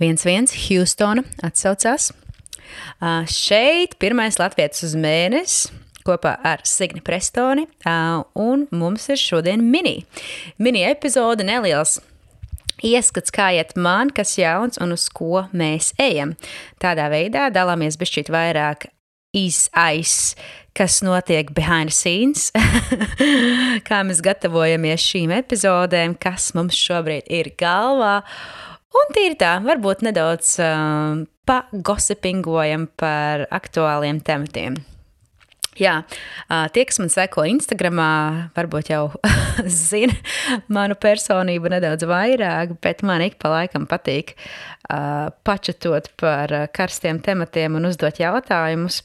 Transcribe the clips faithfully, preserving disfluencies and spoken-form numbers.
viens viens Hjūstona atsaucās. Uh, šeit pirmais latvietis uz mēnesi kopā ar Signi Prestoni, uh, un mums ir šodien mini. Mini epizode, neliels ieskats, kā iet man, kas jauns un uz ko mēs ejam. Tādā veidā dalāmies bišķīt vairāk iz aiz, kas notiek behind the scenes, kā mēs gatavojamies šīm epizodēm, kas mums šobrīd ir galvā. Un tīri tā, varbūt nedaudz uh, pagosipingojam par aktuāliem tematiem. Jā, uh, tie, kas man seko Instagramā, varbūt jau zina manu personību nedaudz vairāk, bet man ik pa laikam patīk uh, pačatot par karstiem tematiem un uzdot jautājumus.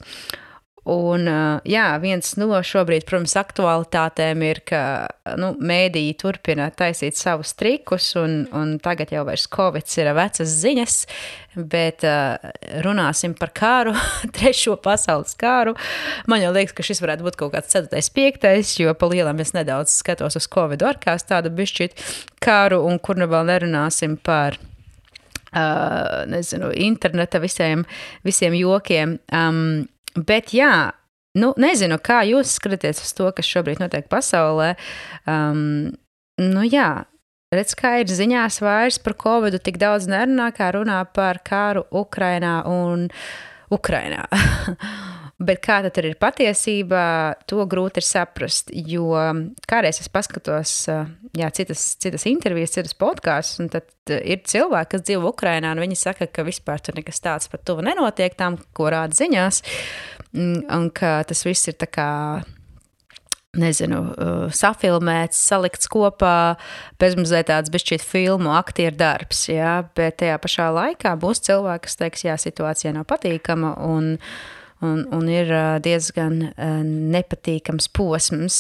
Un, jā, viens no šobrīd, protams, aktualitātēm ir, ka nu, mēdīji turpina taisīt savus trikus, un, un tagad jau vairs Covids ir vecas ziņas, bet uh, runāsim par kāru, trešo pasaules kāru. Man jau liekas, ka šis varētu būt kaut kāds ceturtais, piektais, jo pa lielam es nedaudz skatos uz Covidu arkās tādu bišķīt kāru, un kur nu vēl nerunāsim par uh, nezinu, interneta visiem, visiem jokiem. Um, Bet jā, nu nezinu, kā jūs skatāties uz to, kas šobrīd notiek pasaulē. Um, nu jā, redz, kā ir ziņās vairs par Covidu tik daudz nerunā, kā runā par kāru Ukrainā un Ukrainā. Bet kā tad ir patiesībā, to grūti ir saprast, jo kādreiz es paskatos jā, citas, citas intervijas, citas podkastus, un tad ir cilvēki, kas dzīvo Ukrainā, un viņi saka, ka vispār tur nekas tāds pat tuvu nenotiek tam, ko rāda ziņās, un ka tas viss ir tā kā, nezinu, safilmēts, salikts kopā, bezmazliet tāds bišķīt filmu, aktieru darbs, jā, bet tajā pašā laikā būs cilvēki, kas teiks, jā, situācija nav patīkama, un Un, un ir diezgan uh, nepatīkams posms.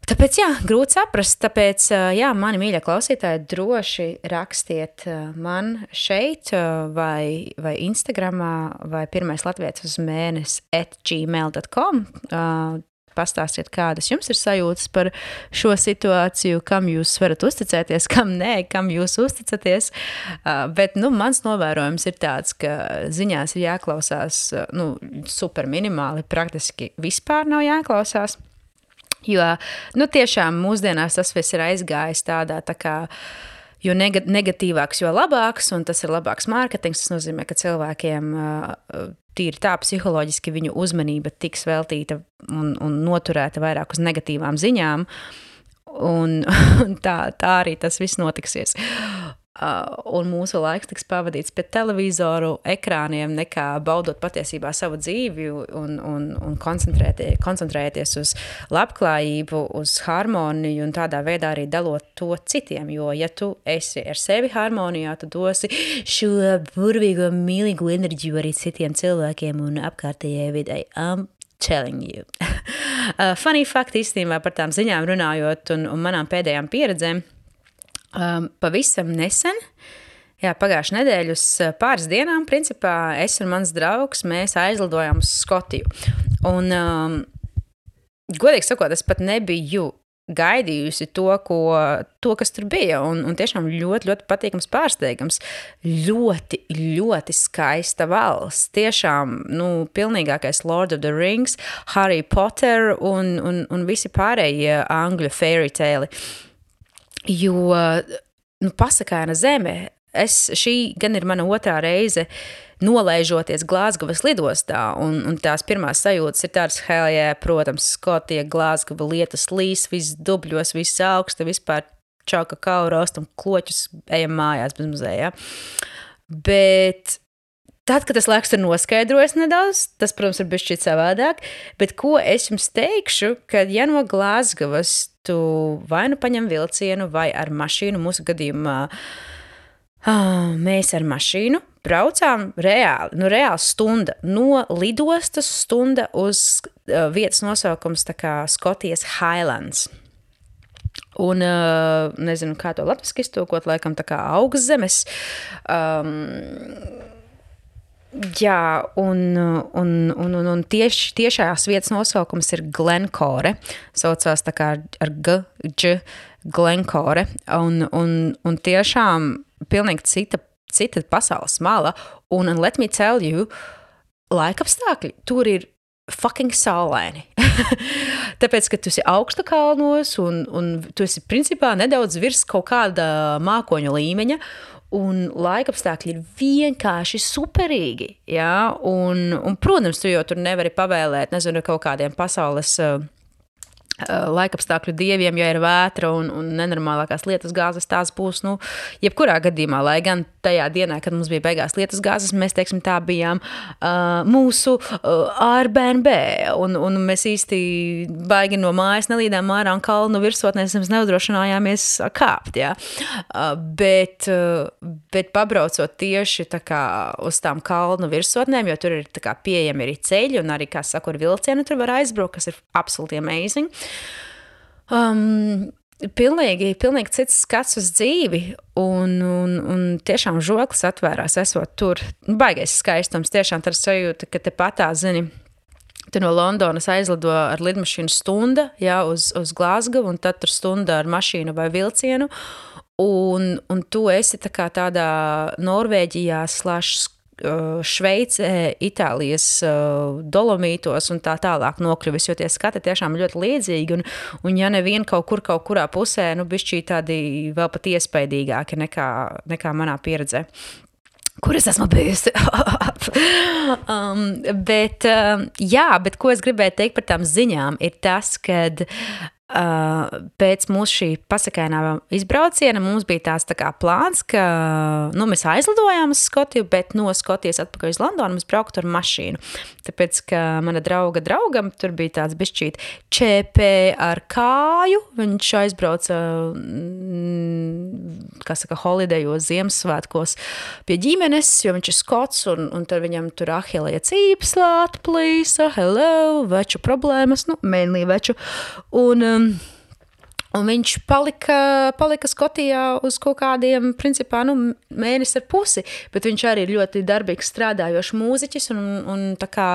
Tāpēc, jā, grūti saprast, tāpēc, uh, jā, mani mīļie klausītāji, droši rakstiet uh, man šeit uh, vai, vai Instagramā vai pirmais latvietis uz mēnesi at gmail dot com. Uh, Pastāstiet, kādas jums ir sajūtas par šo situāciju, kam jūs varat uzticēties, kam nē, kam jūs uzticaties. Uh, bet, nu, mans novērojums ir tāds, ka ziņās ir jāklausās, nu, super minimāli, praktiski vispār nav jāklausās. Jo, nu, tiešām mūsdienās tas viss ir aizgājis tādā tā kā, jo negatīvāks, jo labāks, un tas ir labāks mārketings. Tas nozīmē, ka cilvēkiem uh, tīri tā psiholoģiski viņu uzmanība tiks veltīta un, un noturēta vairāk uz negatīvām ziņām, un, un tā, tā arī tas viss notiksies. Uh, un mūsu laiks tiks pavadīts pie televizoru ekrāniem, nekā baudot patiesībā savu dzīvi un, un, un koncentrēties, koncentrēties uz labklājību, uz harmoniju un tādā veidā arī dalot to citiem, jo ja tu esi ar sevi harmonijā, tu dosi šo burvīgo, mīlīgo enerģiju arī citiem cilvēkiem un apkārtējai videi. I'm telling you. uh, funny fact īstenībā par tām ziņām runājot un, un manām pēdējām pieredzēm. Um, pavisam nesen, jā, pagājušajā nedēļu uz pāris dienām, principā, es un mans draugs, mēs aizlidojām uz Skotiju. Un, um, godīgi sakot, es pat nebiju gaidījusi to, ko, to kas tur bija, un, un tiešām ļoti, ļoti patīkams pārsteigums. Ļoti, ļoti skaista valsts. Tiešām, nu, pilnīgākais Lord of the Rings, Harry Potter un, un, un visi pārējie angļu fairy tale. Jo, nu, pasakaina zeme, es, šī gan ir mana otrā reize nolaižoties Glāzgovas lidostā, un, un tās pirmās sajūtas ir tādas, hell yeah, protams, Skotija, Glāzgova, lietus līs, viss dubļos, viss augsta, vispār čau kakao rostam, kloķus, ejam mājās bez muzejā. Bet tad, kad tas laiks ir noskaidrojas nedaudz, tas, protams, ir bišķīt savādāk, bet ko es jums teikšu, kad ja no Glāzgovas tu vai nu paņem vilcienu, vai ar mašīnu, mūsu gadījumā uh, mēs ar mašīnu braucām reāli, nu reāli stunda, no lidostas stunda uz uh, vietas nosaukums tā kā Skotijas Highlands. Un, uh, nezinu, kā to latviski iztūkot, laikam tā kā augstzemes. Um, Jā, un, un, un, un, un tieši, tiešās vietas nosaukums ir Glencore, saucās tā kā ar G, G, Glencore, un, un, un tiešām pilnīgi cita cita pasaules mala, un, and let me tell you, laikapstākļi tur ir fucking saulaini. Tāpēc, ka tu esi augsta kalnos un, un tu esi principā nedaudz virs kaut kāda mākoņu līmeņa un laikapstākļi ir vienkārši superīgi, jā, un, un protams, tu jau tur nevari pavēlēt, nezinu, kaut kādiem pasaules uh, laikapstākļu dieviem, ja ir vētra un, un nenormālākās lietas gāzes, tās būs, nu, jebkurā gadījumā, lai gan tajā dienā, kad mums bija beigās lietas gāzes, mēs, teiksim, tā bijām uh, mūsu uh, Airbnb, un, un mēs īsti baigi no mājas nelīdām ārā un kalnu virsotnēs mēs neudrošinājāmies kāpt, jā. Uh, bet, uh, bet pabraucot tieši tā kā uz tām kalnu virsotnēm, jo tur ir tā kā pieejami arī ceļi un arī, kā saku, ar vilcienu tur var aizbraukt, kas ir absolutely amazing. Um, pilnīgi, pilnīgi cits skats uz dzīvi un, un, un tiešām žoklis atvērās esot tur. Baigais skaistums, tiešām tā sajūta, ka te patā, zini, tu no Londonas aizlido ar lidmašīnu stunda, jā, uz, uz Glasgow, un tad tur stunda ar mašīnu vai vilcienu, un, un tu esi tā kā tādā Norvēģijā slash Šveicē, Itālijas Dolomītos un tā tālāk nokļuvis, jo tie skati tiešām ļoti līdzīgi, un, un ja nevien kaut kur, kaut kurā pusē, nu, bišķī tādi vēl pat iespaidīgāki nekā, nekā manā pieredzē, kur es esmu bijusi. um, bet, um, jā, bet ko es gribēju teikt par tām ziņām, ir tas, kad Uh, pēc mūsu šī pasakainā izbrauciena mums bija tāds tā kā plāns, ka nu, mēs aizlidojām uz Skotiju, bet no Skotijas atpakaļ uz Londonu mēs brauktu ar mašīnu. Tāpēc, ka mana drauga draugam tur bija tāds bišķīt čēpē ar kāju, viņš aizbrauca, kā saka, holidejos, Ziemassvētkos pie ģimenes, jo viņš ir skots, un, un tad viņam tur ahilija cīpslā atplīsa, hello, veču problēmas, nu, mainly veču, un um, Un viņš palika, palika Skotijā uz kaut kādiem, principā, nu, mēnesi ar pusi, bet viņš arī ir ļoti darbīgs strādājošs mūziķis, un, un tā kā,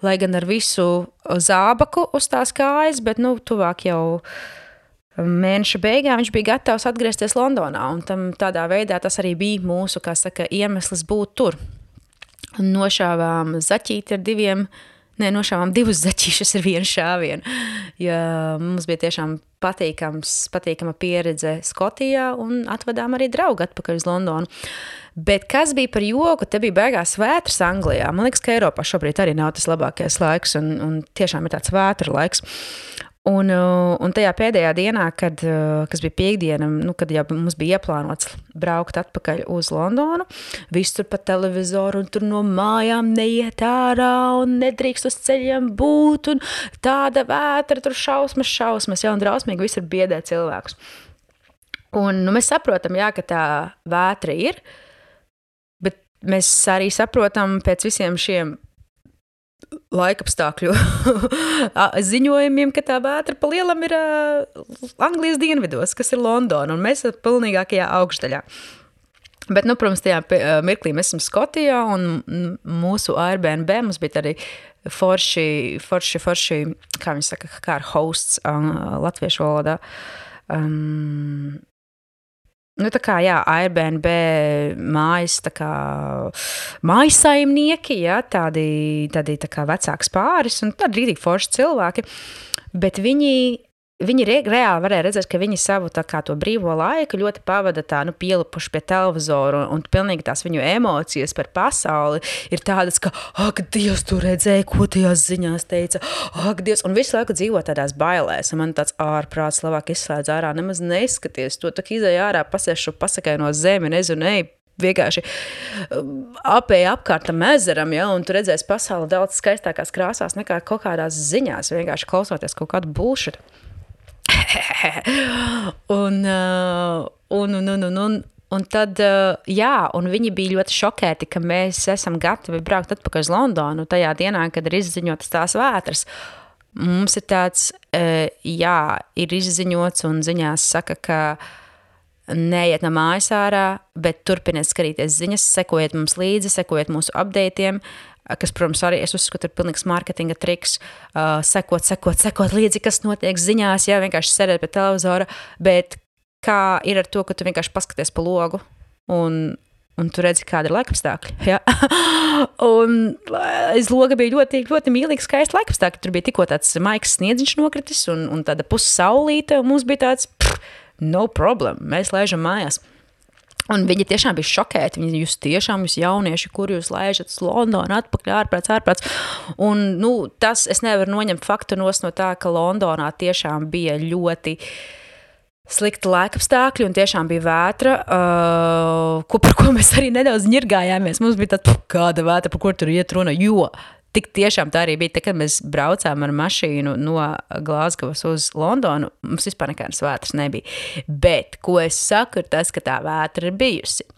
lai gan ar visu zābaku uz tās kājas, bet, nu, tuvāk jau mēneša beigā viņš bija gatavs atgriezties Londonā, un tam tādā veidā tas arī bija mūsu, kā saka, iemesls būt tur. Nošāvām zaķīti ar diviem, ne, nošāvām divus zaķīšus ar vienu šāvienu, jo mums bija tiešām patīkams, patīkama pieredze Skotijā un atvedām arī draugu atpakaļ uz Londonu. Bet kas bija par joku, te bija beigās vētras Anglijā. Man liekas, ka Eiropā šobrīd arī nav tas labākais laiks un, un tiešām ir tāds vētra laiks. Un, un tajā pēdējā dienā, kad, kas bija piekdiena, nu, kad jau mums bija ieplānots braukt atpakaļ uz Londonu, viss tur pa televizoru un tur no mājām neiet ārā un nedrīkst uz ceļiem būt un tāda vētra, tur šausmas, šausmas, ja, un drausmīgi visur biedē cilvēkus. Un nu, mēs saprotam, jā, ka tā vētra ir, bet mēs arī saprotam pēc visiem šiem laikapstākļu ziņojumiem, ka tā vētra pa lielam ir uh, Anglijas dienvidos, kas ir Londona, un mēs esam pilnīgākajā augšdaļā. Bet, nu, protams, tajā mirklī mēs esam Skotijā, un mūsu Airbnb mums bija arī forši, forši, forši, kā viņi saka, kā ar hosts uh, latviešu valodā. Um, Nu, tā kā, jā, Airbnb mājas, tā kā mājasaimnieki, jā, tādi, tādi tā kā vecāks pāris un tādi rītīgi forši cilvēki, bet viņi, viņi re, reāli varēja redzēt, ka viņi savu tā kā to brīvo laiku ļoti pavada tā, nu, pielipuši pie televizoru un, un pilnīgi tās viņu emocijas par pasauli ir tādas, ka, ak, Dievs, tu redzēji, ko tajās ziņās teica, ak, Dievs, un visu laiku dzīvo tādās bailēs, un man tāds ārprāts labāk izslēdz ārā, nemaz neskaties, to tā izēj ārā, pasiešu, pasakai no zemi, nezinu, ej, vienkārši apēja apkārt tam ezeram, ja, un tu redzēsi pasauli daudz skaistākās krāsās nekā kaut kādās ziņās, vienkārši klausoties kaut kādu bullshit. un, uh, un, un, un, un, un tad, uh, jā, un viņi bija ļoti šokēti, ka mēs esam gatavi braukt atpakaļ uz Londonu tajā dienā, kad ir izziņotas tās vētras. Mums ir tāds, uh, jā, ir izziņots un ziņās saka, ka neiet no mājas ārā, bet turpiniet skatīties ziņas, sekojiet mums līdzi, sekojiet mūsu updateiem, kas, protams, arī es uzskatu ir pilnīgs marketinga triks, uh, sekot, sekot, sekot līdzi, kas notiek ziņās, jā, vienkārši sēdēt pie televizora, bet kā ir ar to, ka tu vienkārši paskaties pa logu un un tu redzi, kāda ir laikapstākļi. Ja? Un aiz loga bija ļoti, ļoti mīlīgi skaisti laikapstākļi. Tur bija tikko tāds maiks sniedziņš nokritis un, un tāda pussaulīte, un mums bija tāds, pff, no problem, mēs laižam mājās. Un viņi tiešām bija šokēti. Viņi, jūs tiešām, jūs jaunieši, kur jūs laižat uz Londonu, atpakaļ, ārprāts, ārprāts. Un, nu, tas, es nevaru noņemt faktu nos no tā, ka Londonā tiešām bija ļoti slikti laikapstākļi un tiešām bija vētra, uh, ko, par ko mēs arī nedaudz ņirgājāmies. Mums bija tāds, kāda vētra, par ko tur iet runa, jo tik tiešām tā arī bija. Tā, kad mēs braucām ar mašīnu no Glāzgovas uz Londonu, mums vispār nekādas vētras nebija. Bet, ko es saku, ir tas, ka tā vētra ir bijusi.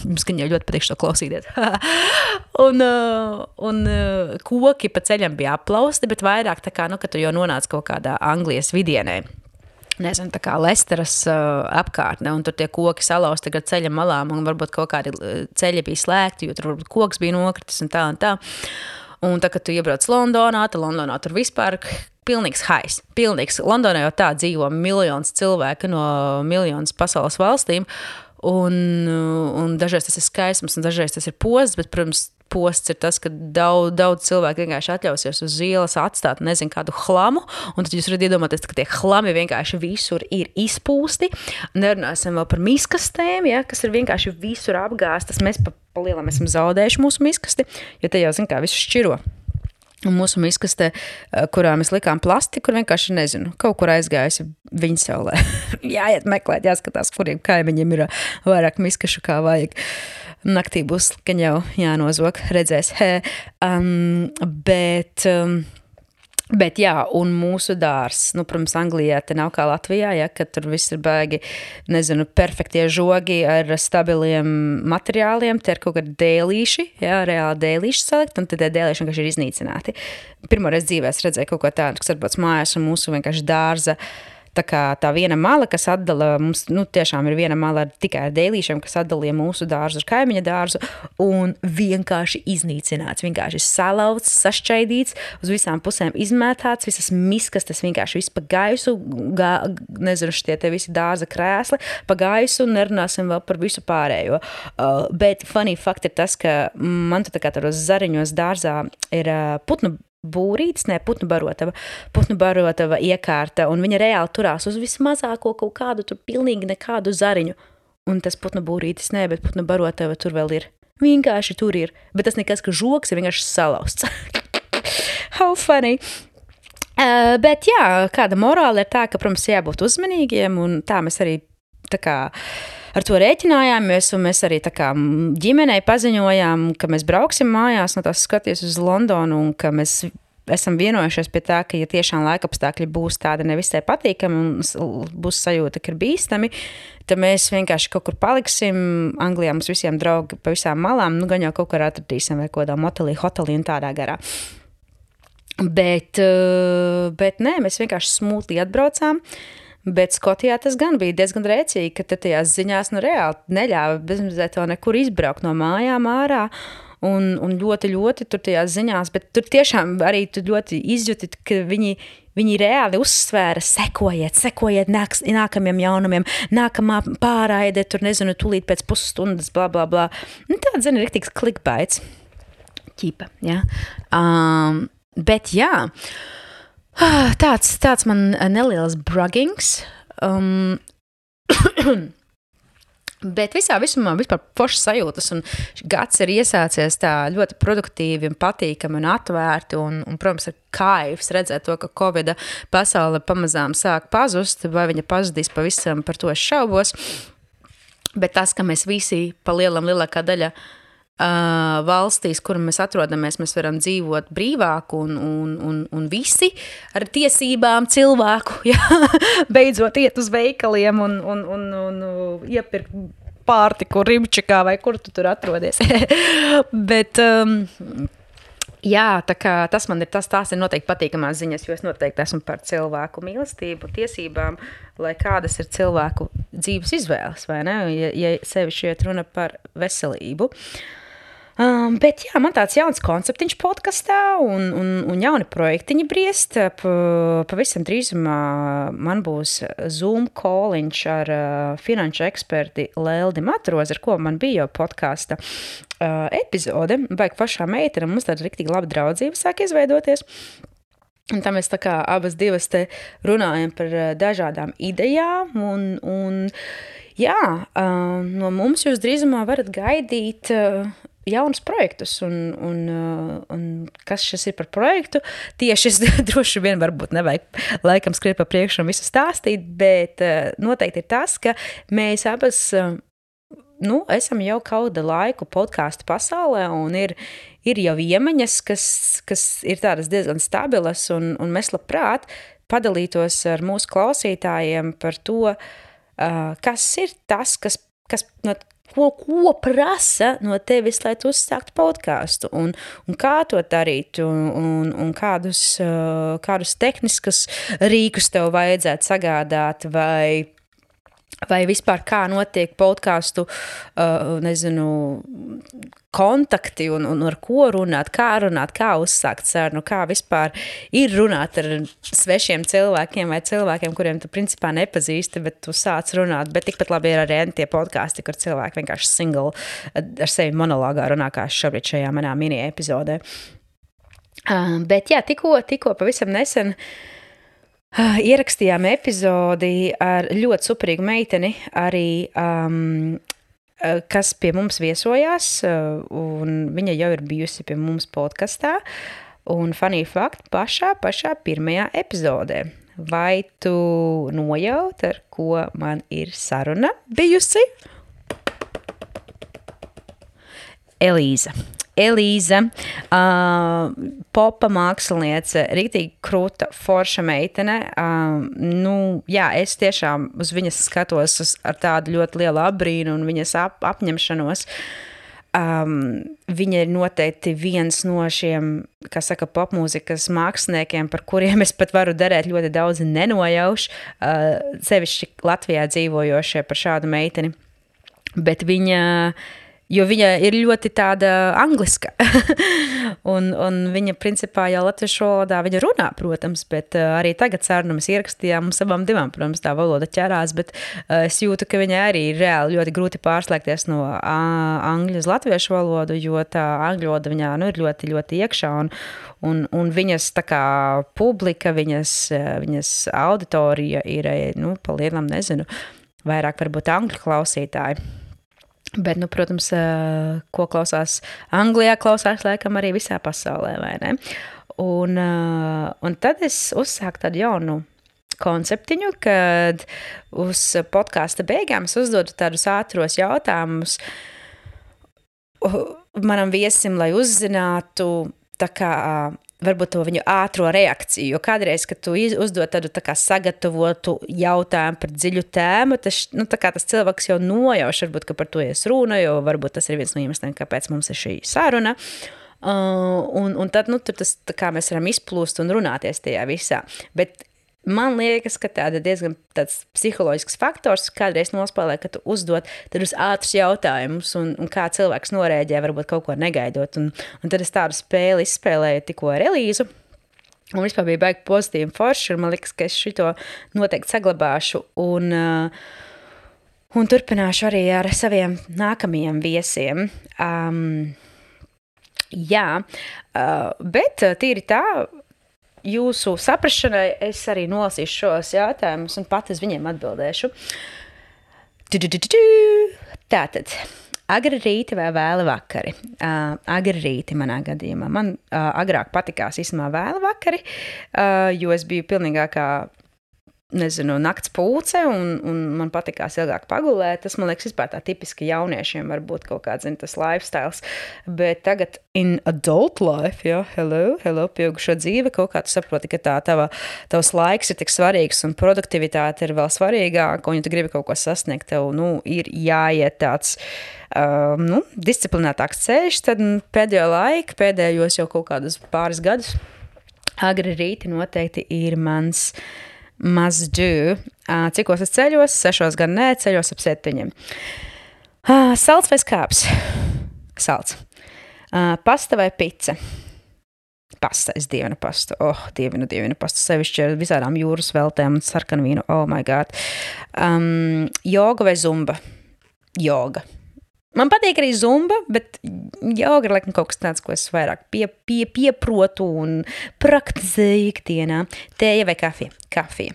Mums gan jau ļoti patīk šo klausīties. un uh, un uh, koki pa ceļam bija aplausti, bet vairāk tā kā, nu, ka tu jau nonāc kaut kādā Anglijas vidienē. Nezinu, tā kā Lesteras uh, apkārtne, un tur tie koki salausti tagad ceļa malām, un varbūt kaut kādi ceļi bija slēgti, jo tur varbūt koks bija nokritis un tā un tā. Un tā, kad tu iebrauc Londonā, tad Londonā tur vispār pilnīgs hais. Pilnīgs. Londonā jau tā dzīvo miljons cilvēku no miljonas pasaules valstīm, un, un dažreiz tas ir skaisms, un dažreiz tas ir posts, bet, protams, posts ir tas, ka daudz, daudz cilvēku vienkārši atļausies uz ielas atstāt, nezinu, kādu hlamu, un tad jūs varat iedomāties, ka tie hlami vienkārši visur ir izpūsti. Nerunāsim vēl par miskastēm, ja, kas ir vienkārši visur apgāstas. Mēs pa, pa lielam esam zaudējuši mūsu miskasti, jo te jau, zin kā, visu šķiro. Un mūsu miskaste, kurā mēs likām plasti, kur vienkārši, nezinu, kaut kur aizgājusi viņa saulē. Jāiet meklēt, jāskatās, kuriem kaimiņiem ir vairāk miskašu kā vajag. Naktī būs, gan jau jānozok, redzēs. He, um, bet, um, bet jā, un mūsu dārs, nu, protams, Anglijā te nav kā Latvijā, ja, ka tur viss ir baigi, nezinu, perfektie žogi ar stabiliem materiāliem, te ir kaut kādi dēlīši, jā, reāli dēlīši salikt, un tad tie dēlīši vienkārši ir iznīcināti. Pirmoreiz dzīvē es redzēju kaut ko tādu, kas atbrauc mājās, un mūsu vienkārši dārza, tā kā tā viena mala, kas atdala, mums, nu, tiešām ir viena mala ar, tikai ar dēlīšiem, kas atdalīja mūsu dārzu ar kaimiņa dārzu, un vienkārši iznīcināts, vienkārši salauts, sašķaidīts, uz visām pusēm izmētāts, visas miskas, tas vienkārši viss pa gaisu, gā, nezinu, šitie te visi dārza krēsli, pa gaisu, un nerunāsim vēl par visu pārējo. Uh, bet funny fact ir tas, ka man tu tā kā tādos zariņos dārzā ir uh, putnu būrītis, ne, putnu barotava, putnu barotava iekārta, un viņa reāli turās uz vismazāko kaut kādu, tur pilnīgi nekādu zariņu. Un tas putnu būrītis, ne, bet putnu barotava tur vēl ir. Vienkārši tur ir. Bet tas nekas, ka žoks ir vienkārši salausts. How funny. Uh, bet jā, kāda morāla ir tā, ka, protams, jābūt uzmanīgiem, un tā mēs arī tā kā ar to rēķinājāmies, un mēs arī tā kā ģimenei paziņojām, ka mēs brauksim mājās, no tās skaties uz Londonu, un ka mēs esam vienojušies pie tā, ka ja tiešām laikapstākļi būs tādi nevisai patīkami un būs sajūta, ka ir bīstami, tad mēs vienkārši kaut kur paliksim. Anglijā mums visiem draugi pa visām malām, nu gan jau kaut kur atradīsim vai kodā motelī, hotelī un tādā garā. Bet, bet nē, mēs vienkārši smūtli atbraucām. Bet Skotijā tas gan bija diezgan rēcīgi, ka tad tajās ziņās nu reāli neļāva bezmazliet to nekur izbraukt no mājām ārā. Un, un ļoti, ļoti tur tajās ziņās, bet tur tiešām arī tu ļoti izjūti, ka viņi, viņi reāli uzsvēra, sekojiet, sekojiet nāks, nākamiem jaunumiem, nākamā pārraide, tur nezinu, tūlīt pēc pusstundas, bla, bla, bla. Nu, tāds, zini, riktīgs clickbaits. Ķipa, jā. Um, bet jā, tāds, tāds man neliels braggings. Um, Bet visā visumā vispār foršas sajūtas, un gads ir iesācies tā ļoti produktīvi un patīkami un atvērti, un, un protams, ir kaifs redzēt to, ka Covida pasaule pamazām sāk pazust, vai viņa pazudīs pavisam, par to es šaubos. Bet tas, ka mēs visi pa lielam lielākā daļa uh, valstīs, kur mēs atrodamies, mēs varam dzīvot brīvāk un, un, un, un visi ar tiesībām cilvēku, ja, beidzot iet uz veikaliem un, un, un, un, un iepirkt pārtiku Rimčikā vai kur tu tur atrodies. Bet, um, jā, tā kā tas man ir, tas tās ir noteikti patīkamās ziņas, jo es noteikti esmu par cilvēku mīlestību, tiesībām, lai kādas ir cilvēku dzīves izvēles, vai ne? Ja, ja sevišķi iet runa par veselību. Um, bet jā, man tāds jauns konceptiņš podkastā un, un, un jauni projektiņi briest. Pa, pavisam drīzumā man būs Zoom call-iņš ar uh, finanšu eksperti Leldi Matrozi, ar ko man bija jau podkasta uh, epizode. Baigi pašā meitene, mums tāda riktīgi laba draudzība sāk izveidoties. Un tā mēs tā kā abas divas te runājam par uh, dažādām idejām un, un jā, uh, no mums jūs drīzumā varat gaidīt uh, jaunus projektus un, un, un kas šis ir par projektu. Tieši es droši vien varbūt nevajag laikam skriet pa priekšu un visu stāstīt, bet noteikti ir tas, ka mēs abas nu, esam jau kauda laiku podcastu pasaulē un ir, ir jau iemaņas, kas, kas ir tādas diezgan stabilas un, un mēs labprāt padalītos ar mūsu klausītājiem par to, kas ir tas, kas, kas no Ko, ko prasa no tevis, lai tu uzsāktu podcastu un, un kā to darīt un, un, un kādus, kādus tehniskus rīkus tev vajadzētu sagādāt vai, vai vispār kā notiek podcastu, nezinu, kontakti un, un ar ko runāt, kā runāt, kā uzsākt sarunu, kā vispār ir runāt ar svešiem cilvēkiem vai cilvēkiem, kuriem tu principā nepazīsti, bet tu sāc runāt, bet tikpat labi ir arī tie podkasti, kur cilvēki vienkārši single ar sevi monologā runā, kā šobrīd šajā manā mini epizodē. Uh, bet jā, tikko, tikko pavisam nesen uh, ierakstījām epizodi ar ļoti superīgu meiteni, arī um, kas pie mums viesojās, un viņa jau ir bijusi pie mums podkastā, un funny fact, pašā, pašā pirmajā epizodē. Vai tu nojaut, ar ko man ir saruna bijusi? Elīza. Elīza, uh, popa māksliniece, riktīgi krūta, forša meitene. Uh, nu, jā, es tiešām uz viņas skatos uz, ar tādu ļoti lielu apbrīnu un viņas ap, apņemšanos. Um, viņa ir noteikti viens no šiem, kā saka, popmūzikas māksliniekiem, par kuriem es pat varu derēt ļoti daudz nenojaušu, uh, sevišķi Latvijā dzīvojošie par šādu meiteni. Bet viņa... Jo viņa ir ļoti tāda angliska, un, un viņa principā jau latviešu valodā viņa runā, protams, bet uh, arī tagad sarunu mēs ierakstījām, mums abām divām, protams, tā valoda ķerās, bet uh, es jūtu, ka viņai arī ir reāli ļoti grūti pārslēgties no uh, angļu uz latviešu valodu, jo tā angļu valoda viņā nu, ir ļoti, ļoti iekšā, un, un, un viņas tā kā publika, viņas, viņas auditorija ir, nu, pa lielam, nezinu, vairāk varbūt angļu klausītāji. Bet, nu, protams, ko klausās Anglijā, klausās laikam arī visā pasaulē, vai ne? Un, un tad es uzsāku tādu jaunu konceptiņu, kad uz podkāsta beigām es uzdodu tādus ātros jautājumus manam viesim, lai uzzinātu tā kā varbūt to viņu ātro reakciju, jo kādreiz, kad tu uzdod tādu tā kā sagatavotu jautājumu par dziļu tēmu, tas, nu, tā kā tas cilvēks jau nojauš, varbūt, ka par to ies runa, jo varbūt tas ir viens no iemesliem, kāpēc mums ir šī saruna. Uh, un, un tad, nu, tur tas, tā kā mēs varam izplūst un runāties tajā visā. Bet man liekas, ka tāda diezgan tāds psiholoģisks faktors kādreiz nospēlē, ka tu uzdod tādus ātrus jautājumus un, un kā cilvēks norēģē, varbūt kaut ko negaidot. Un, un tad es tādu spēli izspēlēju tikko ar Elīzu. Un vispār bija baigi pozitīvi forši, un man liekas, ka es šito noteikti saglabāšu un, uh, un turpināšu arī ar saviem nākamajiem viesiem. Um, jā, uh, bet tīri tā, jūsu saprašanai es arī nolasīšu šos jautājumus un pat uz viņiem atbildēšu. Tātad, agri rīti vai vēli vakari? Uh, agri rīti manā gadījumā. Man uh, agrāk patikās īstenībā vēli vakari, uh, jo es biju pilnīgākā, nezinu, nakts pūce un, un man patikās ilgāk pagulēt. Tas, man liekas, vispār tā tipiski jauniešiem var būt kaut kāds, zin, tas lifestyles. Bet tagad in adult life, jā, hello, hello, pieaugušo dzīve, kaut kā tu saproti, ka tā tava, tavs laiks ir tik svarīgs un produktivitāte ir vēl svarīgāka, un ja tu gribi kaut ko sasniegt, tev, nu, ir jāiet tāds, uh, nu, disciplinētāks ceļš, tad pēdējo laiku, pēdējos jau kaut kādus pāris gadus, agri rīti noteikti ir mans must do. Uh, cikos es ceļos? Sešos gan nē, ceļos ap septiņiem. Uh, salds vai skāps? Salds. Uh, pasta vai pica? Pasta, es dievinu pastu. Oh, dievinu, dievinu pastu. Sevišķi ar visādām jūras veltēm un sarkanvīnu. Oh my God. Um, joga vai zumba? Joga. Man patīk arī zumba, bet joga ir laikam kaut kas tāds, ko es vairāk pie, pie, pieprotu un praktizēju ikdienā. Tēja vai kafija? Kafija.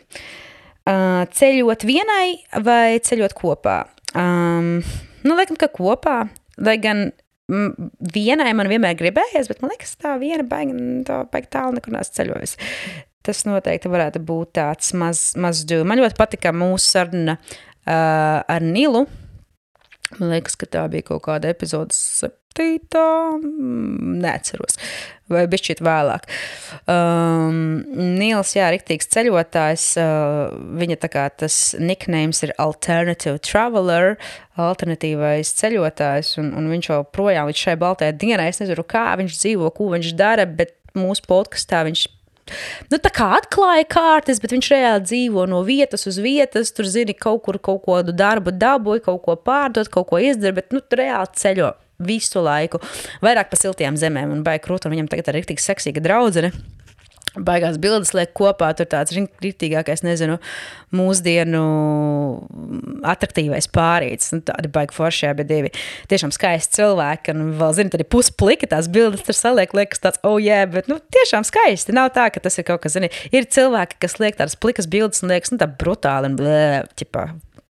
Uh, ceļot vienai vai ceļot kopā? Um, nu, laikam, ka kopā. Lai gan vienai man vienmēr gribējies, bet man liekas, tā viena baigi, tā baigi tālu nekur nāc ceļojas. Tas noteikti varētu būt tāds maz, maz do. Man ļoti patika mūsu saruna uh, ar Nilu. Man liekas, ka tā bija kaut kāda epizodes septītā, neatceros, vai bišķīt vēlāk. Um, Nils, jā, riktīgs ceļotājs, uh, viņa tā kā tas nicknames ir Alternative Traveler, alternatīvais ceļotājs, un, un viņš jau projām līdz šai baltajai dienai, es nezinu, kā viņš dzīvo, ko viņš dara, bet mūsu podkastā viņš nu, tā kā atklāja kārtas, bet viņš reāli dzīvo no vietas uz vietas, tur zini kaut kur kaut ko darbu dabūja, kaut ko pārdot, kaut ko izdara, bet nu, reāli ceļo visu laiku. Vairāk pa siltajām zemēm un baigi krūt, un viņam tagad ir riktīgi seksīga draudzene. Baigās bildes liek kopā, tur tāds riktīgākais, nezinu, mūsdienu atraktīvais pārīts, nu, tādi baigi forši, abi divi tiešām skaisti cilvēki, un vēl, zini, tad ir pusplika tās bildes, tur saliek, liekas tāds, oh yeah, bet, nu, tiešām skaisti, nav tā, ka tas ir kaut kas, zini, ir cilvēki, kas liek tādas plikas bildes, un liekas, nu, tā brutāli, un blē, ķipā,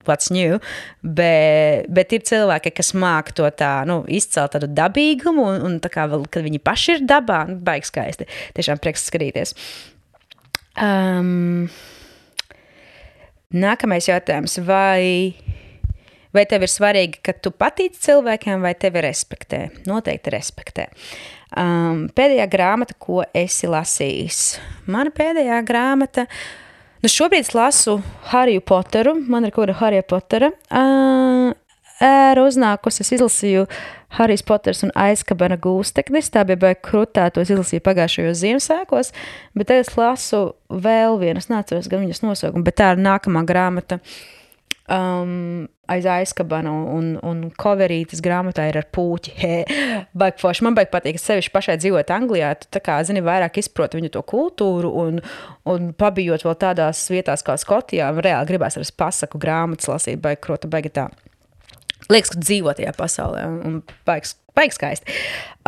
what's new, bet, bet ir cilvēki, kas māk to tā, nu, izcelt tādu dabīgumu, un, un tā kā vēl, kad viņi paši ir dabā, nu, baigi skaisti. Tiešām prieks skatīties. Um, nākamais jautājums, vai, vai tev ir svarīgi, ka tu patīc cilvēkiem, vai tevi respektē? Noteikti respektē. Um, pēdējā grāmata, ko esi lasījis? Mana pēdējā grāmata, nu, šobrīd es lasu Hariju Poteru, man ir kaut kāda Harija Potera uh, ēra uznākus, es izlasīju Harijs Poters un Aizkabana gūsteknis, tā bija baigi krutā, to es izlasīju pagājušajos Ziemassvētkos, bet tagad es lasu vēl vienu, es neatceros gan viņas nosaukumu, bet tā ir nākamā grāmata um, aiz Aizkabana un, un coverītas grāmatā ir ar pūķi. He, baigi forši, man baigi patīk, es sevišķi pašai dzīvot Anglijā, tu tā kā, zini, vairāk izproti viņu to kultūru un, un pabijot vēl tādās vietās kā Skotijā, reāli gribās ar pasaku grāmatas lasīt, baigi krota, baigi tā. Liekas, ka dzīvo tajā pasaulē un baigi, baigi skaisti.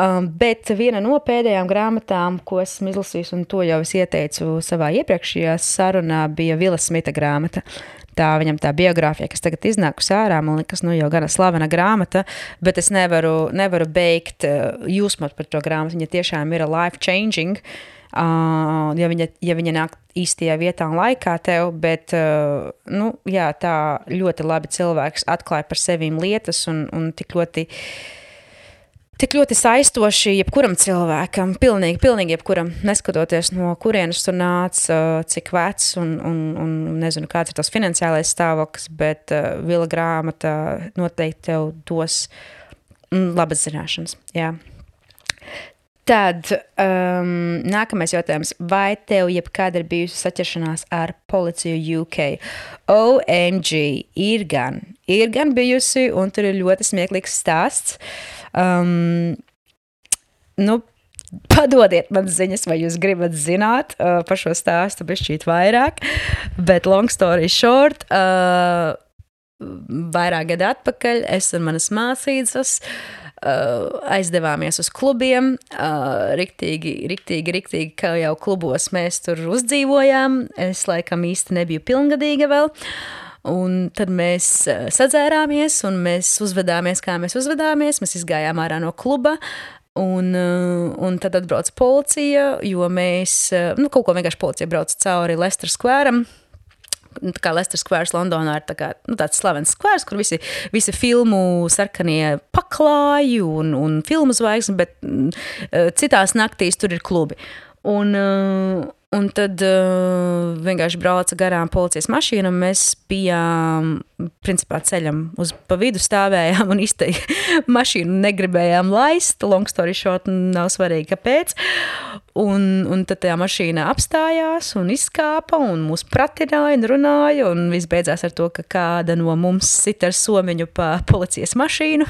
Um, bet viena no pēdējām grāmatām, ko esmu izlasījis, un to jau es ieteicu savā iepriekšējā sarunā, bija Vila Smita grāmata. Tā viņam tā biogrāfija, kas tagad iznākus ārā, man liekas, nu jau gana slavena grāmata, bet es nevaru, nevaru beigt uh, jūsmot par to grāmatu. Viņa tiešām ir life changing, uh, ja, viņa, ja viņa nāk īstajā vietā un laikā tev, bet, uh, nu, jā, tā ļoti labi cilvēks atklāja par sevīm lietas un, un tik ļoti Tik ļoti saistoši jebkuram cilvēkam, pilnīgi, pilnīgi jebkuram, neskatoties no kurienes tu nāc, cik vecs un, un, un nezinu, kāds ir tas finansiālais stāvoklis, bet uh, Vila grāmata noteikti tev dos mm, labas zināšanas. Jā. Tad um, nākamais jautājums. Vai tev jebkāda ir bijusi saķeršanās ar policiju U K? O M G, ir gan. Ir gan bijusi, un tur ir ļoti smieklīgs stāsts. Um, nu, padodiet man ziņas, vai jūs gribat zināt uh, par šo stāstu bišķīt vairāk, bet long story short, uh, vairāk gadu atpakaļ es un manas māsīdzas uh, aizdevāmies uz klubiem, uh, riktīgi, riktīgi, riktīgi, kā jau klubos mēs tur uzdzīvojām, es laikam īsti nebiju pilngadīga vēl. Un tad mēs sadzērāmies un mēs uzvedāmies, kā mēs uzvedāmies. Mēs izgājām ārā no kluba un, un tad atbrauc policija, jo mēs, nu, kaut ko vienkārši policija brauc cauri Leicester Square'am. Tā kā Leicester Squares Londonā ir tā kā, nu, tāds slavens skvērs, kur visi, visi filmu sarkanie paklāji un, un filmu zvaigznes, bet citās naktīs tur ir klubi. Un, Un tad uh, vienkārši brauca garām policijas mašīna, un mēs bijām, principā, ceļam uz pa vidu stāvējām un izteikti mašīnu negribējām laist. Long story short, nav svarīgi, kāpēc. Un, un tad tajā mašīna apstājās un izkāpa, un mūs pratināja un runāja, un viss beidzās ar to, ka kāda no mums sit ar somiņu pa policijas mašīnu,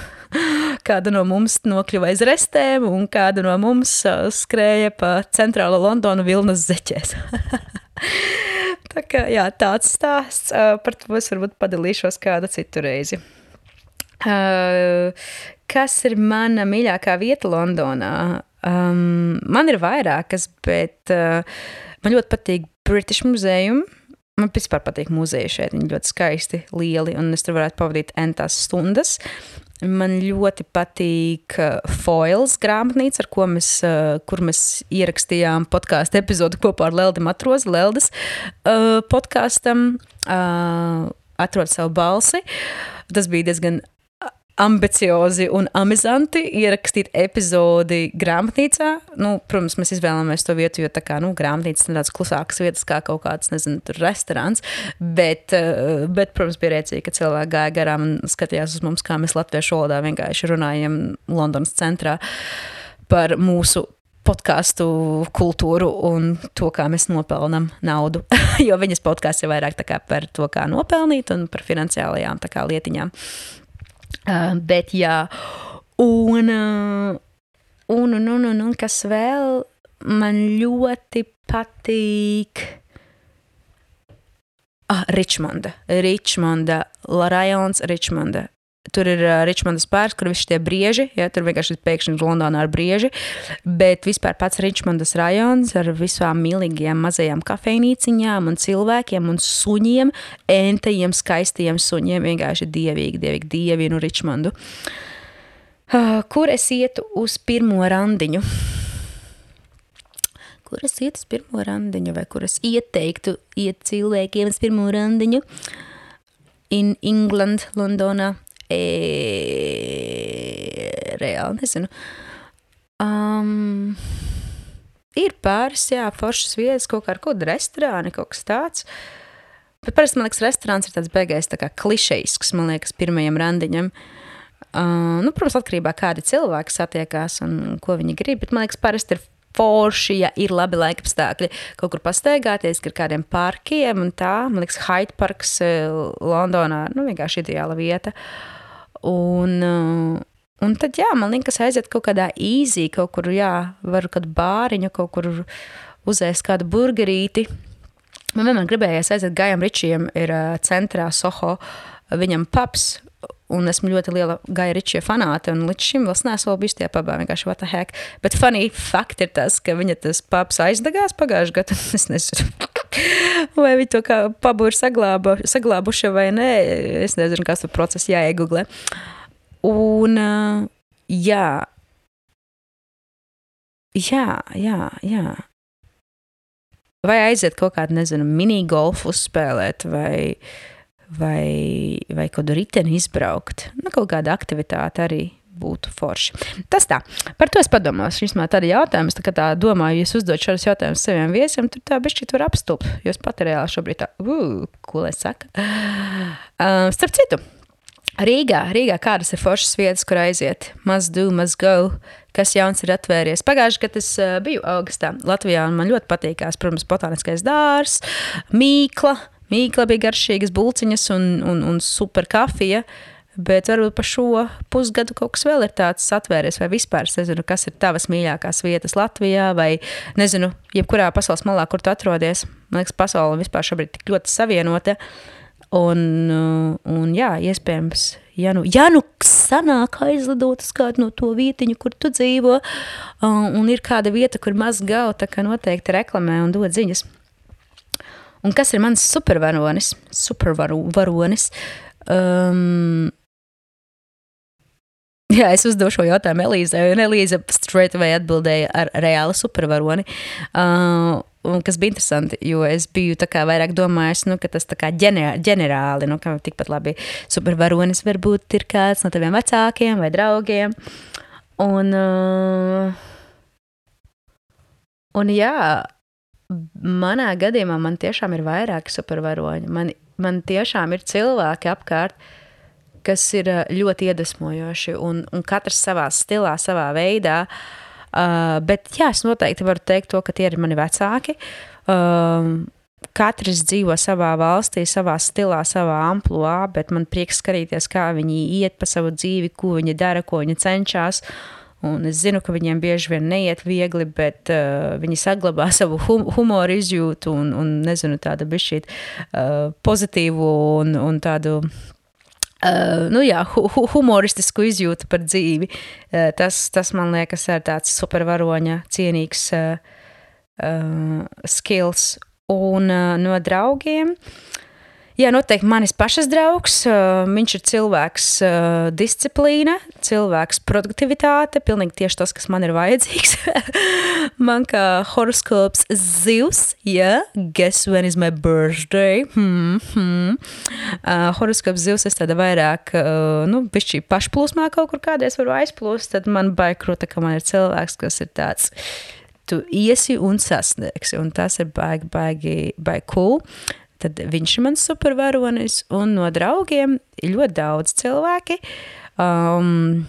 kāda no mums nokļuva aiz restēm, un kāda no mums uh, skrēja pa centrālo Londonu Vilnas zeķēs. Tā kā, jā, tāds stāsts, uh, par to es varbūt padalīšos kādu citu reizi. Uh, kas ir mana mīļākā vieta Londonā? Um, man ir vairākas, bet uh, man ļoti patīk British Museum. Man vispār patīk muzeji šeit, viņi ļoti skaisti, lieli, un es tur varētu pavadīt entās stundas. Man ļoti patīk Foils grāmatnīca, ar ko mēs, kur mēs ierakstījām podkāstu epizodu kopā ar Leldi Matrozi, Leldes uh, podkāstam uh, Atrod savu balsi. Tas bija diezgan ambiciozi un amizanti ierakstīt epizodi grāmatnīcā. Nu, protams, mēs izvēlamies to vietu, jo tā kā, nu, grāmatnīcas ir tāds klusākas vietas kā kaut kāds, nezinu, tur restorāns, bet, bet, protams, bija rēcīgi, ka cilvēki gāja garām un skatījās uz mums, kā mēs latviešu valodā vienkārši runājam Londonas centrā par mūsu podcastu kultūru un to, kā mēs nopelnam naudu, jo viņas podcasts ir vairāk tā kā par to, kā nopelnīt un par finansiālajām tā kā lietiņām. Uh, bet jā, un, uh, un, un, un, un, un kas vēl man ļoti patīk, ah, Ričmonda, Ričmonda, rajons Ričmonda. Tur ir uh, Ričmondas pārs, kur visi tie brieži, ja, tur vienkārši pēkšņi Londonā ar brieži, bet vispār pats Ričmondas rajons ar visām mīlīgajām mazajām kafejnīciņām un cilvēkiem un suņiem, entajiem, skaistajiem suņiem, vienkārši dievīgi, dievīgi, dievinu Ričmondu. Uh, kur es ietu uz pirmo randiņu? Kur es ietu uz pirmo randiņu, vai kur es ieteiktu iet cilvēkiem uz pirmo randiņu? In England, Londonā. E, reāli nezinu. Um, ir pāris, jā, foršas vietas, kaut kā ar kaut kādu restorāni, kaut kas tāds. Bet parasti, man liekas, restorāns ir tāds beigais, tā kā klišejisks, man liekas, pirmajam randiņam. Uh, nu, protams, atkarībā kādi cilvēki satiekās un ko viņi grib, bet man liekas, parasti ir forši, ja ir labi laikapstākļi, kaut kur pastaigāties, ar kādiem parkiem un tā. Man liekas, Hyde Parks Londonā, nu, vienkārši ideāla vieta. Un, un tad, jā, man liekas, aiziet kaut kādā easy, kaut kur, jā, varu kādu bāriņu, kaut kur uzēst kādu burgerīti. Man vienmēr gribējās aiziet Gajam Ričijam, ir centrā Soho, viņam pubs, un esmu ļoti liela Gaja Ričija fanāte, un līdz šim vēl neesmu vēl bijusi tajā pubā, vienkārši what the heck. Bet funny fact ir tas, ka viņa tas pubs aizdegās pagājuši gadu, es nezinu, vai viņi to kā pubu ir saglāba, saglābuši vai nē, es nezinu, kāds tur process jāiegooglē. Un, jā, jā, jā, jā. Vai aiziet kaut kādu, nezinu, mini-golfu uzspēlēt, vai... vai, vai kādu riteni izbraukt. Nu, kaut kāda aktivitāte arī būtu forši. Tas tā. Par to es padomāšu. Vismaz tādi jautājums, tā kā tā domāju, ja es uzdot šādus jautājumus saviem viesiem, tur tā bišķi tur apstup, jo es pat reāli šobrīd tā, uh, ko lai saka. Uh, starp citu, Rīgā, Rīgā kādas ir foršas vietas, kur aiziet? Must do, must go. Kas jauns ir atvēries. Pagājuši, kad es uh, biju augustā Latvijā, un man ļoti patīkās, protams, botāniskais dārs, Mīkla, Mīkla bija garšīgas bulciņas un, un, un super kafija, bet varbūt pa šo pusgadu kaut kas vēl ir tāds atvēries, vai vispār, es nezinu, kas ir tavas mīļākās vietas Latvijā, vai, nezinu, jebkurā pasaules malā, kur tu atrodies. Man liekas, pasaule vispār šobrīd tik ļoti savienota, un, un jā, iespējams, ja nu, ja nu sanāk aizlidot uz kādu no to vietiņu, kur tu dzīvo, un ir kāda vieta, kur maz gau, tā kā noteikti reklamē un dod ziņas. Un kas ir mans supervaronis? Supervaronis. Um, jā, es uzdošu šo jautājumu Elīzai, un Elīza straight away atbildēja ar reāli supervaroni. Uh, un kas bija interesanti, jo es biju tā kā vairāk domājis, nu, ka tas tā kā ģenerāli, ģenerāli nu, ka tikpat labi supervaronis varbūt ir kāds no taviem vecākiem vai draugiem. Un, uh, un jā, manā gadījumā man tiešām ir vairāki supervaroņi. Man, man tiešām ir cilvēki apkārt, kas ir ļoti iedvesmojoši un, un katrs savā stilā, savā veidā. Uh, bet jā, es noteikti varu teikt to, ka tie ir mani vecāki. Uh, katrs dzīvo savā valstī, savā stilā, savā ampluā, bet man prieks skatīties, kā viņi iet pa savu dzīvi, ko viņi dara, ko viņi cenšas. Un es zinu, ka viņiem bieži vien neiet viegli, bet uh, viņi saglabā savu hum- humoru izjūtu un, un nezinu, tādu bišķīt uh, pozitīvu un, un tādu Uh, nu jā, hu- hu- humoristisku izjūtu par dzīvi. Uh, tas, tas, man liekas, ir tāds supervaroņa cienīgs uh, uh, skills. Un uh, no draugiem, jā, noteikti manis pašas draugs, uh, viņš ir cilvēks uh, disciplīna, cilvēks produktivitāte, pilnīgi tieši tas, kas man ir vajadzīgs. Man kā horoskops zivs, yeah, guess when is my birthday? Hmm, hmm. Uh, horoskops zivs, es tāda vairāk, uh, nu, bišķī pašplūsmā kaut kur kādreiz varu aizplūst, tad man baikruta, ka man ir cilvēks, kas ir tāds, tu iesi un sasniegsi, un tas ir baigi, baigi, baigi cool. Tad viņš ir mans supervaronis, un no draugiem ir ļoti daudz cilvēki. Um,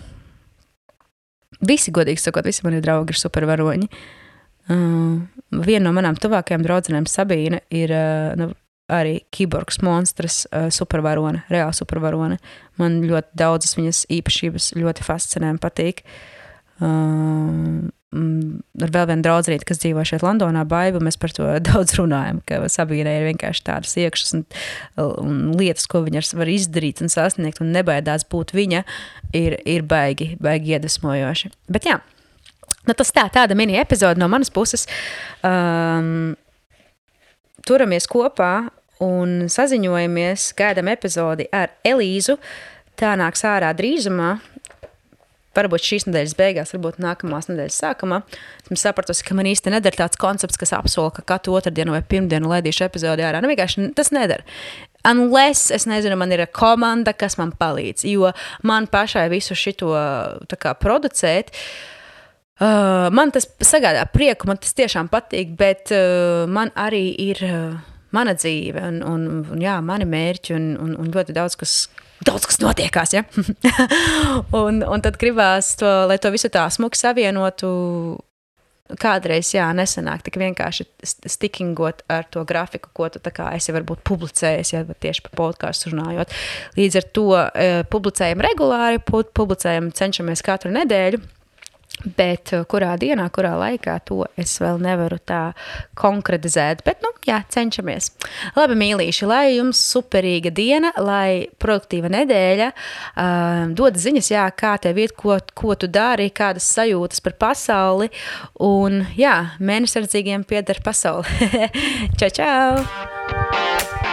visi, godīgi sakot, visi mani draugi ir supervaroņi. Uh, viena no manām tuvākajām draudzenēm, Sabīne, ir uh, nu, arī kiborgs monstrs, uh, supervarone, reāli supervarone. Man ļoti daudzas viņas īpašības ļoti fascinē un patīk. Uh, ar vēl vienu draudzenīti, kas dzīvo šeit Londonā, Baibu, mēs par to daudz runājam, ka Sabīnai ir vienkārši tādas iekšas un, un lietas, ko viņa var izdarīt un sasniegt un nebaidās būt viņa, ir, ir baigi, baigi iedvesmojoši. Bet jā, nu tas tā, tāda mini epizode no manas puses. Um, turamies kopā un saziņojamies, gaidām epizodi ar Elīzu. Tā nāks ārā drīzumā. Varbūt šīs nedēļas beigās, varbūt nākamās nedēļas sākumā. Esmu sapratusi, ka man īsti nedara tāds koncepts, kas apsola, ka katru otrdienu vai pirmdienu laidīšu epizodi ārā. Nu, vienkārši tas nedara. Unless, es nezinu, man ir komanda, kas man palīdz, jo man pašai visu šito tā kā producēt, uh, man tas sagādā prieku, man tas tiešām patīk, bet uh, man arī ir uh, mana dzīve un, un, un jā, mani mērķi un, un, un ļoti daudz, kas Daudz, kas notiekās, ja? un, un tad gribās, to, lai to visu tā smuki savienotu, kādreiz, jā, nesanāk tik vienkārši stickingot ar to grafiku, ko tu tā kā esi varbūt publicējis, ja, tieši par podcastu runājot. Līdz ar to e, publicējam regulāri, publicējam, cenšamies katru nedēļu, bet kurā dienā, kurā laikā, to es vēl nevaru tā konkretizēt, bet, nu, jā, cenšamies. Labi, mīlīši, lai jums superīga diena, lai produktīva nedēļa, uh, dod ziņas, jā, kā tev iet, ko, ko tu dari, kādas sajūtas par pasauli, un, jā, mēnesardzīgiem pieder pasauli. Čau, čau!